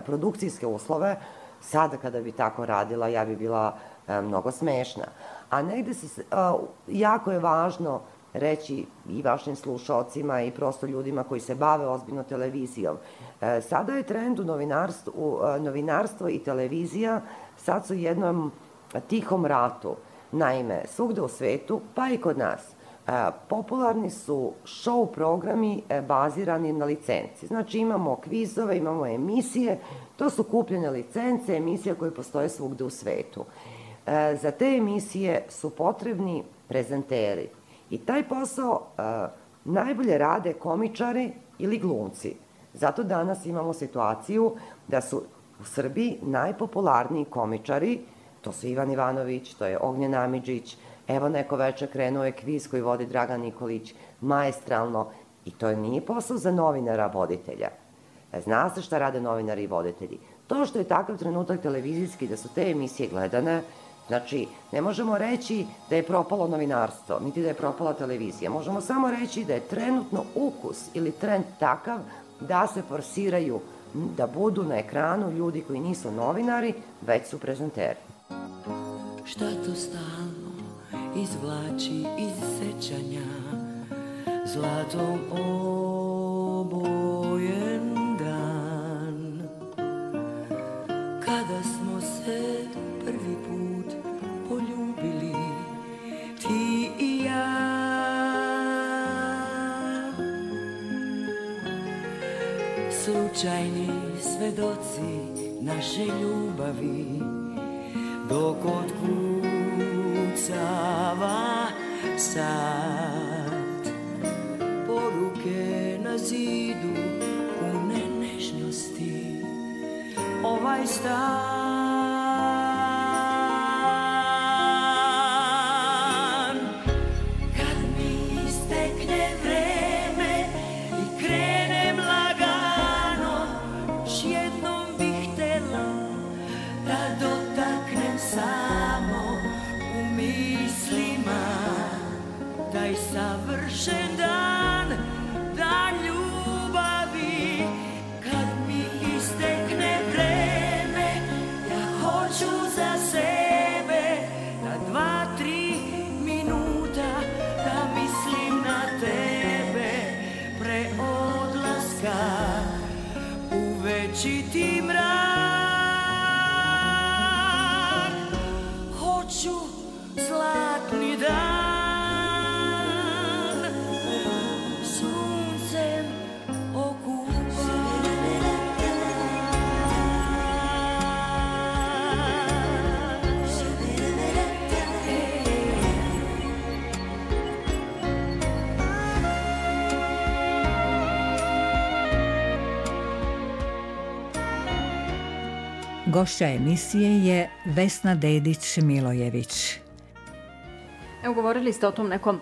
produkcijske uslove. Sada kada bi tako radila, ja bi bila mnogo smešna. A negde se, jako je važno reći i vašim slušalcima i prosto ljudima koji se bave ozbiljno televizijom. Sada je trend u novinarstvo i televizija, sad su u jednom tihom ratu. Naime, svugde u svetu, pa i kod nas, popularni su show programi bazirani na licenci. Znači imamo kvizove, imamo emisije, to su kupljene licence, emisije koje postoje svugde u svetu. Za te emisije su potrebni prezenteri. I taj posao najbolje rade komičari ili glumci. Zato danas imamo situaciju da su u Srbiji najpopularniji komičari, to su Ivan Ivanović, to je Ognjen Amidžić, evo neko veče krenuo je kviz koji vodi Dragan Nikolić, maestralno, i to nije posao za novinara voditelja. Zna se šta rade novinari i voditelji. To što je takav trenutak televizijski, da su te emisije gledane, znači, ne možemo reći da je propalo novinarstvo, niti da je propala televizija. Možemo samo reći da je trenutno ukus ili trend takav da se forsiraju, da budu na ekranu ljudi koji nisu novinari, već su prezenteri. Šta to stalno izvlači iz sećanja, zlatom obojen dan, kada smo se prvi put poljubili, ti i ja. Slučajni svedoci naše ljubavi, dok otkucava sat, poruke na zidu pune nežnosti, ovaj stan. Kad mi istekne vreme i krenem lagano, još jednom bih htela da dotaknem samo u mislima taj savršen dan, dan ljubavi. Kad mi istekne vreme, ja hoću za sebe na dva, tri minuta da mislim na tebe pre odlaska u večiti mrak. Hoću zlatni dan, suncem okupan. Gošća emisije je Vesna Dedić-Milojević. Evo, govorili ste o tom nekom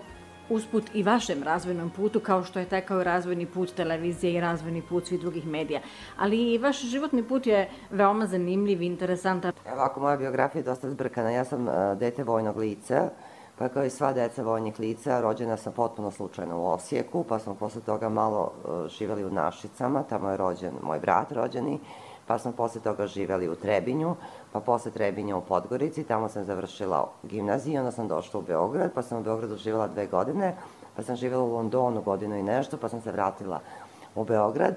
usput i vašem razvojnom putu, kao što je tekao razvojni put televizije i razvojni put svih drugih medija. Ali i vaš životni put je veoma zanimljiv i interesantan. Evo, ako moja biografija je dosta zbrkana, ja sam dete vojnog lica, pa kao i sva deca vojnih lica, rođena sam potpuno slučajno u Osijeku, pa smo posle toga malo živeli u Našicama, tamo je rođen moj brat rođeni, pa smo posle toga živeli u Trebinju, pa posle Trebinja u Podgorici, tamo sam završila gimnaziju, onda sam došla u Beograd, pa sam u Beogradu živela dve godine, pa sam živela u Londonu godinu i nešto, pa sam se vratila u Beograd.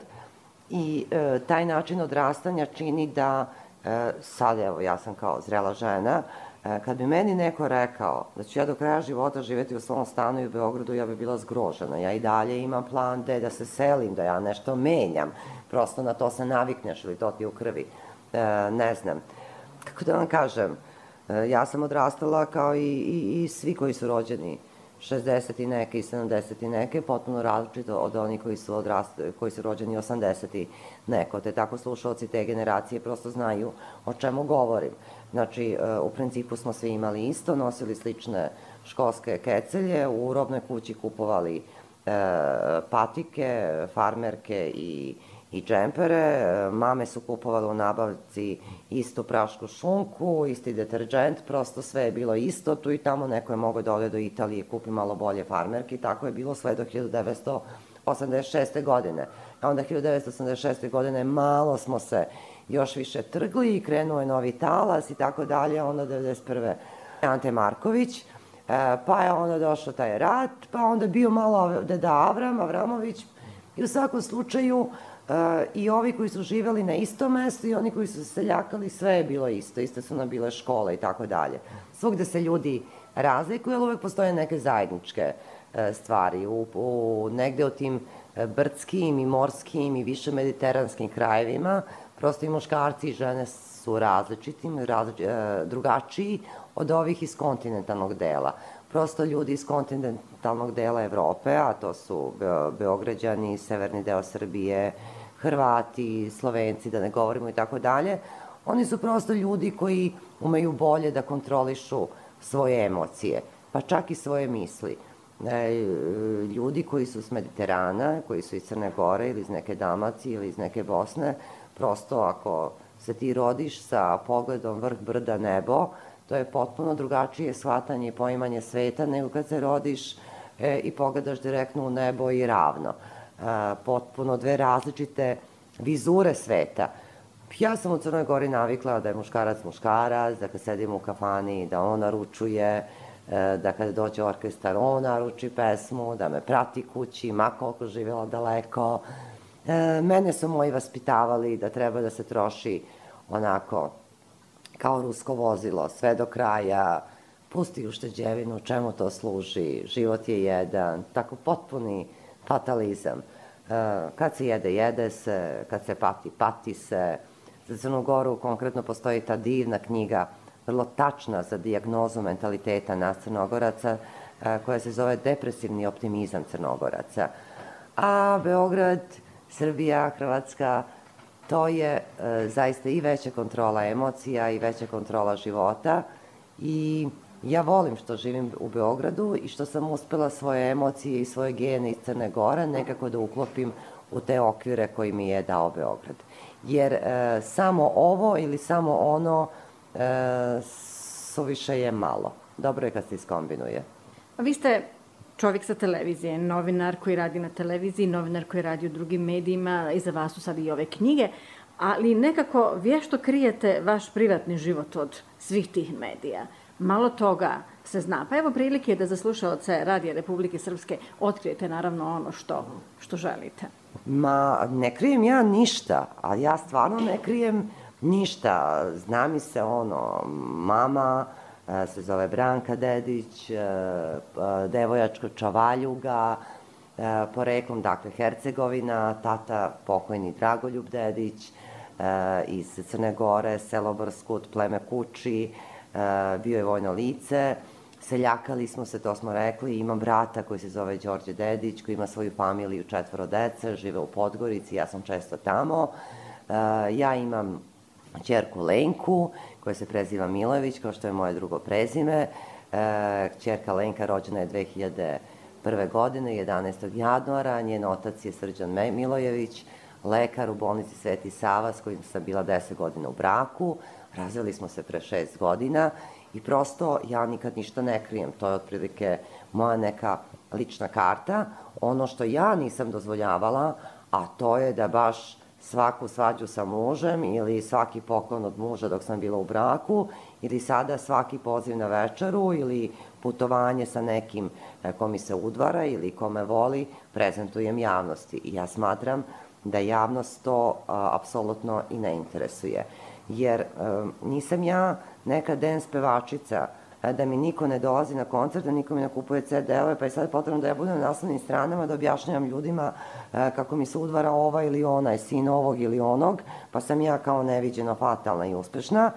I e, taj način odrastanja čini da, e, sad evo, ja sam kao zrela žena, e, kad bi meni neko rekao da ću ja do kraja života živeti u svom stanu i u Beogradu, ja bi bila zgrožena. Ja i dalje imam plan da, da se selim, da ja nešto menjam, prosto na to se navikneš ili to ti u krvi, e, ne znam. Kako da vam kažem, e, ja sam odrastala kao i, i, i svi koji su rođeni šezdeset i neke i sedamdeset i neke, potpuno različito od onih koji su, odrastali, koji su rođeni osamdeset i neko. Te tako slušalci te generacije prosto znaju o čemu govorim. Znači, u principu smo svi imali isto, nosili slične školske kecelje, u robnoj kući kupovali e, patike, farmerke i i džempere, mame su kupovale u nabavci istu prašku šunku, isti deterđent, prosto sve je bilo isto, tu i tamo neko je mogao da ode do Italije i kupi malo bolje farmerke i tako je bilo sve do hiljadu devetsto osamdeset šeste. godine. A onda hiljadu devetsto osamdeset šeste. godine malo smo se još više trgli i krenuo je novi talas i tako dalje, onda devedeset prve. Ante Marković, pa je onda došao taj rat, pa onda bio malo deda Avram, Avramović i u svakom slučaju i ovi koji su živeli na istom mestu i oni koji su se seljakali, sve je bilo isto, iste su nam bile škole i tako dalje. Svugde se ljudi razlikuju, ali uvek postoje neke zajedničke stvari. U, u, negde u tim brdskim i morskim i više mediteranskim krajevima prosto i muškarci i žene su različitim, različ, drugačiji od ovih iz kontinentalnog dela. Prosto ljudi iz kontinentalnog dela Evrope, a to su Beograđani, severni deo Srbije, Hrvati, Slovenci, da ne govorimo i tako dalje, oni su prosto ljudi koji umeju bolje da kontrolišu svoje emocije, pa čak i svoje misli. Ljudi koji su s Mediterana, koji su iz Crne Gore ili iz neke Dalmacije ili iz neke Bosne, prosto ako se ti rodiš sa pogledom vrh brda nebo, to je potpuno drugačije shvatanje i poimanje sveta nego kad se rodiš e, i pogledaš direktno u nebo i ravno. E, potpuno dve različite vizure sveta. Ja sam u Crnoj Gori navikla da je muškarac muškarac, da kad sedim u kafani da on naručuje, e, da kada dođe orkestar on naruči pesmu, da me prati kući, ma koliko živjela daleko. E, mene su moji vaspitavali da treba da se troši onako kao rusko vozilo, sve do kraja, pusti ušteđevinu, čemu to služi, život je jedan, tako potpuni fatalizam. Kad se jede, jede se, kad se pati, pati se. Za Crnu Goru konkretno postoji ta divna knjiga, vrlo tačna za dijagnozu mentaliteta nas Crnogoraca, koja se zove Depresivni optimizam Crnogoraca. A Beograd, Srbija, Hrvatska, to je e, zaista i veća kontrola emocija i veća kontrola života i ja volim što živim u Beogradu i što sam uspela svoje emocije i svoje gene iz Crne Gore nekako da uklopim u te okvire koji mi je dao Beograd. Jer e, samo ovo ili samo ono e, suviše je malo. Dobro je kad se iskombinuje. A vi ste čovjek sa televizije, novinar koji radi na televiziji, novinar koji radi u drugim medijima, iza vas su sad i ove knjige, ali nekako vješto krijete vaš privatni život od svih tih medija. Malo toga se zna. Pa evo prilike da za slušaoce Radija Republike Srpske otkrijete naravno ono što, što želite. Ma, ne krijem ja ništa, a ja stvarno ne krijem ništa. Zna mi se ono, mama se zove Branka Dedić, devojačko Čavaljuga, poreklom, dakle, Hercegovina, tata pokojni Dragoljub Dedić, iz Crne Gore, selo Brskut, pleme Kuči, bio je vojno lice, seljakali smo se, to smo rekli, imam brata koji se zove Đorđe Dedić, koji ima svoju familiju, četvoro dece, žive u Podgorici, ja sam često tamo, ja imam ćerku Lenku, koja se preziva Milojević, kao što je moje drugo prezime. E, ćerka Lenka rođena je dve hiljade prve. godine, jedanaestog januara. Njen otac je Srđan Milojević, lekar u bolnici Sveti Sava, s kojim sam bila deset godina u braku. Razveli smo se pre šest godina i prosto ja nikad ništa ne krijem. To je otprilike moja neka lična karta. Ono što ja nisam dozvoljavala, a to je da baš svaku svađu sa mužem ili svaki poklon od muža dok sam bila u braku ili sada svaki poziv na večeru ili putovanje sa nekim ko mi se udvara ili ko me voli prezentujem javnosti. I ja smatram da javnost to a, apsolutno i ne interesuje. Jer a, nisam ja neka dance pevačica, da mi niko ne dolazi na koncert, da niko mi ne kupuje ce de-ove, pa je sad potrebno da ja budem na naslovnim stranama, da objašnjavam ljudima kako mi se udvara ova ili ona, je sin ovog ili onog, pa sam ja kao neviđeno fatalna i uspešna.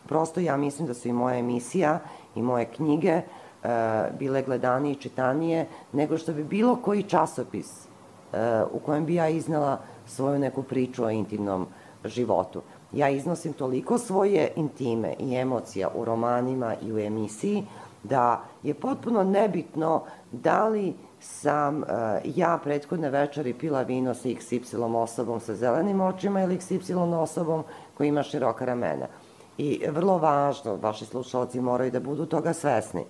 Prosto ja mislim da su i moja emisija i moje knjige bile gledanije i čitanije nego što bi bilo koji časopis u kojem bi ja iznela svoju neku priču o intimnom životu. Ja iznosim toliko svoje intime i emocija u romanima i u emisiji da je potpuno nebitno da li sam ja prethodne večeri pila vino sa iks ipsilon osobom sa zelenim očima ili iks ipsilon osobom koja ima široka ramena. I vrlo važno, vaši slušalci moraju da budu toga svesni.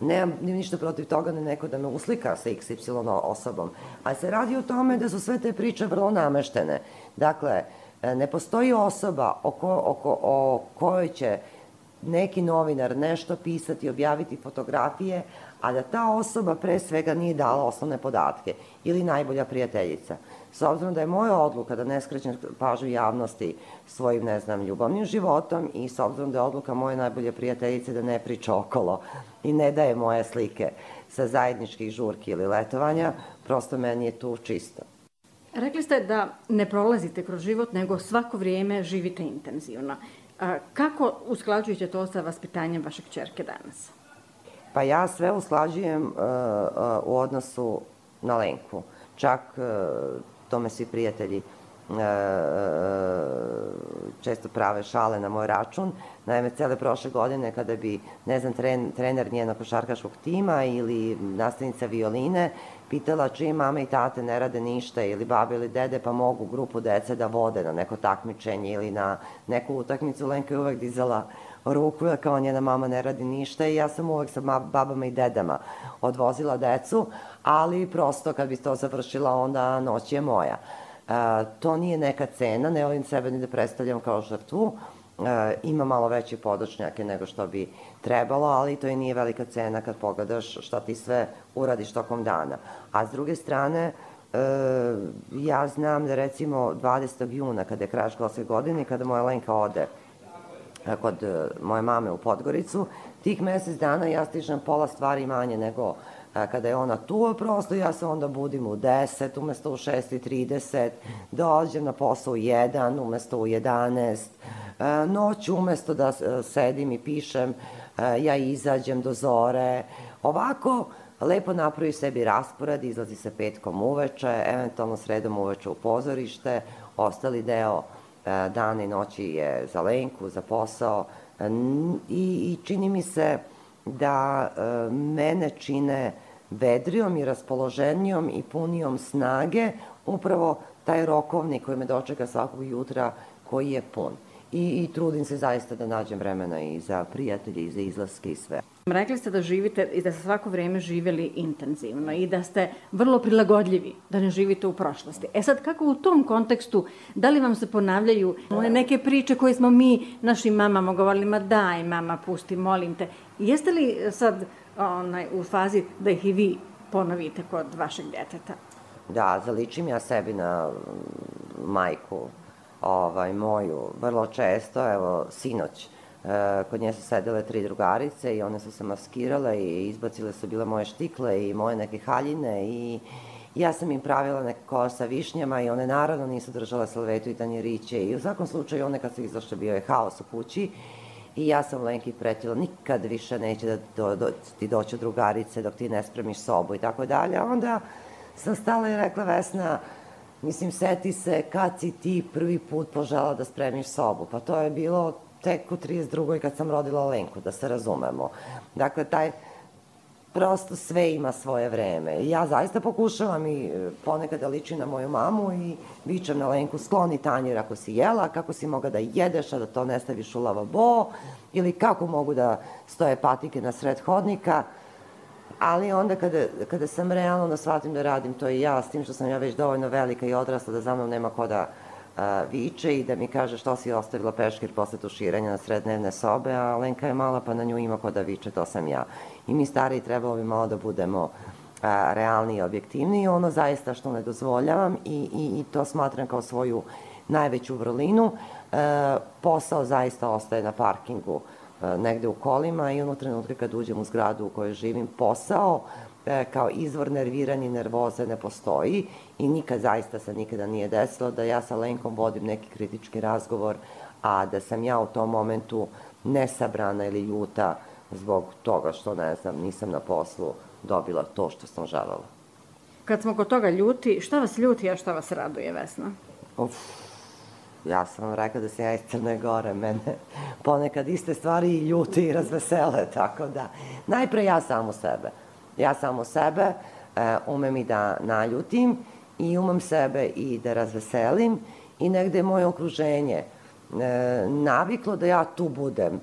Nemam ništa protiv toga da neko da me uslika sa iks ipsilon osobom, ali se radi o tome da su sve te priče vrlo nameštene. Dakle, ne postoji osoba o kojoj će neki novinar nešto pisati, objaviti fotografije, a da ta osoba pre svega nije dala osnovne podatke ili najbolja prijateljica. S obzirom da je moja odluka da ne skrećem pažnju javnosti svojim, ne znam, ljubavnim životom i s obzirom da je odluka moje najbolje prijateljice da ne priča okolo i ne daje moje slike sa zajedničkih žurki ili letovanja, prosto meni je tu čisto. Rekli ste da ne prolazite kroz život, nego svako vrijeme živite intenzivno. Kako usklađujete to sa vaspitanjem vaše kćerke danas? Pa ja sve usklađujem u odnosu na Lenku. Čak tome svi prijatelji često prave šale na moj račun. Naime, cele prošle godine kada bi, ne znam, trener njenog košarkaškog tima ili nastavnica violine pitala čiji mama i tate ne rade ništa ili babe ili dede pa mogu grupu dece da vode na neko takmičenje ili na neku utakmicu, Lenka je uvek dizala ruku kao njena mama ne radi ništa i ja sam uvek sa babama i dedama odvozila decu, ali prosto kad bi to završila onda noć je moja. To nije neka cena, ne volim sebe ni da predstavljam kao žrtvu, ima malo veće podočnjake nego što bi trebalo, ali to i nije velika cena kad pogledaš šta ti sve uradiš tokom dana. A s druge strane, ja znam da recimo dvadesetog juna, kada je kraj školske godine, kada moja Lenka ode kod moje mame u Podgoricu, tih mesec dana ja stižem pola stvari manje nego kada je ona tu, prosto ja se onda budim u deset, umesto u šest i trideset, dođem na posao u jedan, umesto u jedanaest, noć umesto da sedim i pišem, ja izađem do zore. Ovako, lepo napravi sebi raspored, izlazi se petkom uveče, eventualno sredom uveče u pozorište, ostali deo dana i noći je za Lenku, za posao i čini mi se da mene čine vedrijom i raspoloženijom i punijom snage upravo taj rokovnik koji me dočeka svakog jutra koji je pun. I trudim se zaista da nađem vremena i za prijatelje i za izlaske i sve. Rekli ste da živite i da ste svako vrijeme živjeli intenzivno i da ste vrlo prilagodljivi, da ne živite u prošlosti. E sad, kako u tom kontekstu, da li vam se ponavljaju one neke priče koje smo mi našim mamama govorili, ma daj mama, pusti, molim te. Jeste li sad u fazi da ih i vi ponovite kod vašeg djeteta? Da, zaličim ja sebi na majku moju vrlo često, evo sinoć, kod nje su sedele tri drugarice i one su se maskirale i izbacile su bile moje štikle i moje neke haljine i ja sam im pravila neke kola sa višnjama i one naravno nisu držale salvetu i tanjiriće i u svakom slučaju one kad su izašle bio je haos u kući i ja sam Lenki pretila nikad više neće da ti doću drugarice dok ti ne spremiš sobu i tako dalje, a onda sam stala i rekla Vesna, mislim, seti se kad si ti prvi put požela da spremiš sobu. Pa to je bilo tek u trideset drugoj kad sam rodila Lenku, da se razumemo. Dakle, taj prosto sve ima svoje vreme. Ja zaista pokušavam i ponekad da ličim na moju mamu i vičem na Lenku, skloni tanjir ako si jela, kako si mogla da jedeš, a da to ne staviš u lavabo, ili kako mogu da stoje patike na sred hodnika. Ali onda kada sam realno da shvatim da radim to i ja, s tim što sam ja već dovoljno velika i odrasla da za mnom nema ko da viče i da mi kaže što si ostavila peškir posle tuširanja na sred dnevne sobe, a Lenka je mala pa na nju ima ko da viče, to sam ja. I mi stariji trebalo bi malo da budemo realni i objektivni i ono zaista što ne dozvoljavam i to smatram kao svoju najveću vrlinu. Posao zaista ostaje na parkingu negde u kolima i ono trenutka kad uđem u zgradu u kojoj živim, posao kao izvor nerviranja i nervoze ne postoji i nikad zaista se nikada nije desilo da ja sa Lenkom vodim neki kritički razgovor, a da sam ja u tom momentu nesabrana ili ljuta zbog toga što, ne znam, nisam na poslu dobila to što sam želela. Kad smo kod toga ljuti, šta vas ljuti, a šta vas raduje, Vesna? Uf, ja sam vam rekla da sam ja iz Crne Gore, mene ponekad iste stvari i ljuti i razvesele, tako da, najpre ja samo sebe. Ja samo sebe e, umem i da naljutim i umem sebe i da razveselim i negde je moje okruženje e, naviklo da ja tu budem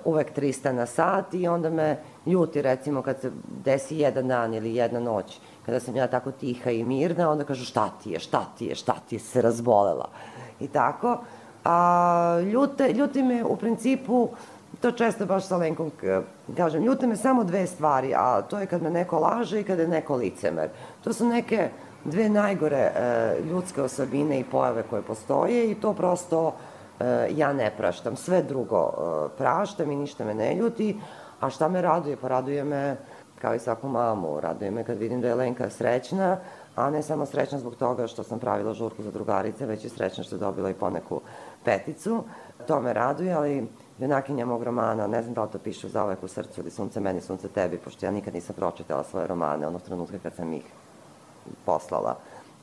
uvek trista na sat i onda me ljuti, recimo, kad se desi jedan dan ili jedna noć, kada sam ja tako tiha i mirna, onda kažu šta ti je, šta ti je, šta ti je, se razbolela. I tako. A, ljute, ljuti me u principu, to često baš sa Lenkom kažem, ljute me samo dve stvari, a to je kad me neko laže i kada je neko licemer. To su neke dve najgore e, ljudske osobine i pojave koje postoje i to prosto e, ja ne praštam. Sve drugo e, praštam i ništa me ne ljuti, a šta me raduje? Pa raduje me, kao i svaku mamu, raduje me kad vidim da je Lenka srećna, a ne samo srećna zbog toga što sam pravila žurku za drugarice, već i srećna što je dobila i poneku peticu. To me raduje, ali junakinja mog romana, ne znam da li to piše Zauvek u srcu ili Sunce meni, sunce tebi, pošto ja nikad nisam pročitala svoje romane, onog trenutka kad sam ih poslala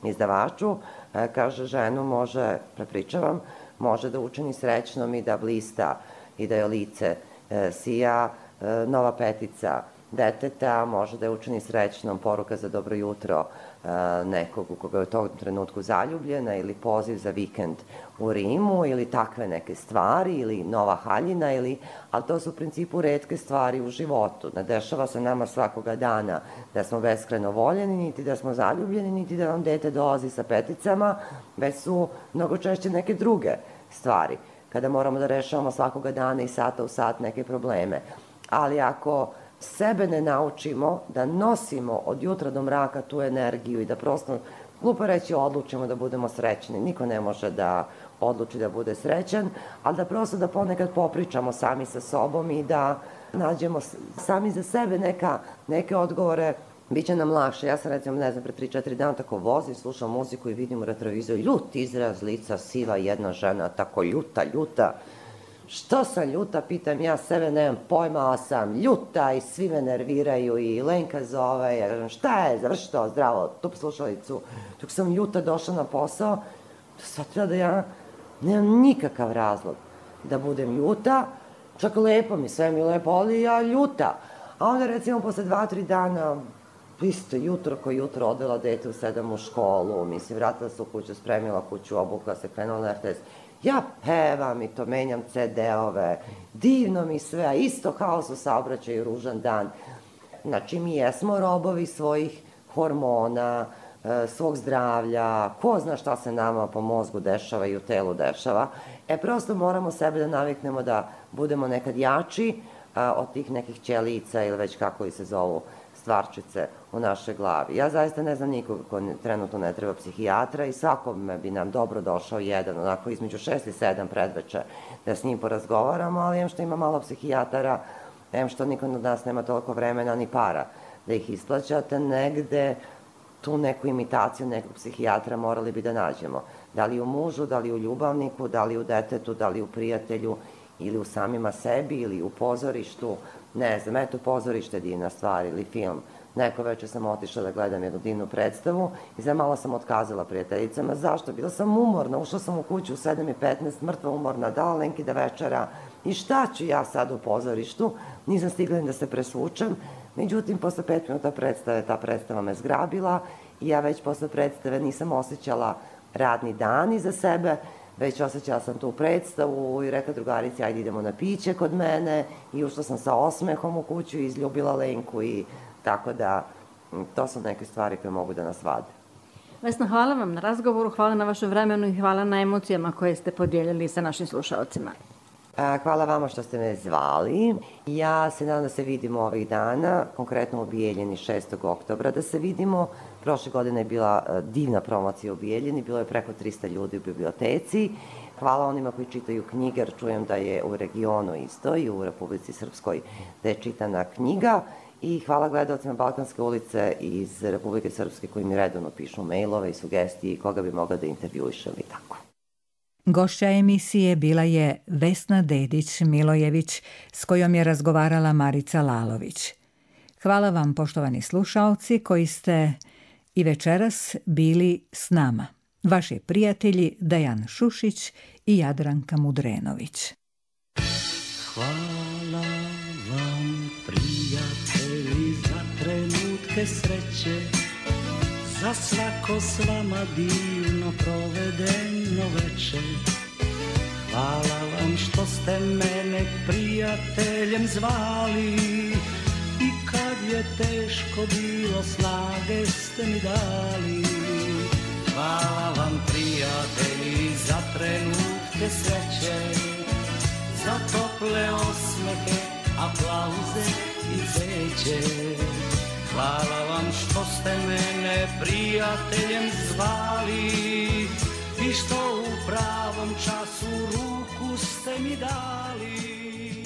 izdavaču, kaže, ženu može, prepričavam, može da učini srećnom i da blista i da joj lice sija, nova petica deteta, može da je učini srećnom poruka za dobro jutro nekog u koga je u tom trenutku zaljubljena ili poziv za vikend u Rimu ili takve neke stvari ili nova haljina, ili, ali to su u principu retke stvari u životu. Ne dešava se nama svakoga dana da smo beskrajno voljeni, niti da smo zaljubljeni, niti da nam dete dolazi sa peticama, već su mnogo češće neke druge stvari, kada moramo da rešavamo svakoga dana i sata u sat neke probleme. Ali ako sebe ne naučimo da nosimo od jutra do mraka tu energiju i da prosto, glupo reći, odlučimo da budemo srećni. Niko ne može da odluči da bude srećan, ali da prosto da ponekad popričamo sami sa sobom i da nađemo sami za sebe neka, neke odgovore, biće nam lakše. Ja sam, recimo, ne znam, pre tri četiri dana tako vozim, slušam muziku i vidim u retroviziju ljut izraz lica, siva jedna žena, tako ljuta, ljuta. Što sam ljuta, pitam ja sebe, nemam pojma, ali sam ljuta i svi me nerviraju i Lenka zove, ja kažem, šta je, završi to, zdravo, tup slušalicu. Dok sam ljuta došla na posao, shvatila da ja nemam nikakav razlog da budem ljuta, čak lepo mi, sve mi lepo, ali ja ljuta. A onda, recimo, posle dva, tri dana, isto jutro ko jutro odvela dete u sedam u školu, mislim, vratila se u kuću, spremila kuću, obukla se, krenula na er te es. Ja pevam i to menjam ce de-ove, divno mi sve, a isto haos u saobraćaju, ružan dan. Znači, mi jesmo robovi svojih hormona, svog zdravlja, ko zna šta se nama po mozgu dešava i u telu dešava. E, prosto moramo sebe da naviknemo da budemo nekad jači od tih nekih ćelica ili već kako li se zovu stvarčice u našoj glavi. Ja zaista ne znam nikoga ko trenutno ne treba psihijatra i svakome bi nam dobro došao jedan, onako između šest i sedam predveče, da s njim porazgovaramo, ali em što ima malo psihijatara, em što niko od nas nema toliko vremena ni para da ih isplaćate, negde tu neku imitaciju nekog psihijatra morali bi da nađemo. Da li u mužu, da li u ljubavniku, da li u detetu, da li u prijatelju, ili u samima sebi, ili u pozorištu. Ne znam, eto, pozorište je divna stvar, ili film. Neko večer sam otišla da gledam jednu divnu predstavu i za malo sam otkazala prijateljicama. Zašto? Bila sam umorna, ušla sam u kuću u sedam i petnaest, mrtva umorna, dala Lenki da večera. I šta ću ja sad u pozorištu? Nisam stigla ni da se presvučem. Međutim, posle pet minuta predstave, ta predstava me zgrabila i ja već posle predstave nisam osjećala radni dan iza sebe, već osjećala sam tu predstavu i rekla drugarici, ajde idemo na piće kod mene, i ušla sam sa osmehom u kuću i izljubila Lenku, i tako da to su neke stvari koje mogu da nas vade. Vesna, hvala vam na razgovoru, hvala na vašem vremenu i hvala na emocijama koje ste podijelili sa našim slušalcima. Hvala vama što ste me zvali. Ja se nadam da se vidimo ovih dana, konkretno u Bijeljini šestog oktobra, da se vidimo. Prošle godine je bila divna promocija u Bijeljini, bilo je preko trista ljudi u biblioteci. Hvala onima koji čitaju knjige, jer čujem da je u regionu isto i u Republici Srpskoj da je čitana knjiga. I hvala gledalcima Balkanske ulice iz Republike Srpske koji mi redovno pišu mailove i sugestije i koga bi mogla da intervjuišem i tako. Gošća emisije bila je Vesna Dedić-Milojević, s kojom je razgovarala Marica Lalović. Hvala vam, poštovani slušaoci, koji ste i večeras bili s nama. Vaši prijatelji Dejan Šušić i Jadranka Mudrenović. Hvala vam, prijatelji, za trenutke sreće, za svako s vama divno provedeno veče. Hvala vam što ste mene prijateljem zvali i kad je teško bilo snage ste mi dali. Hvala vam, prijatelji, za trenutke sreće, za tople osmehe, aplauze i zeće. Hvala vam što ste mene prijateljem zvali i što u pravom času ruku ste mi dali.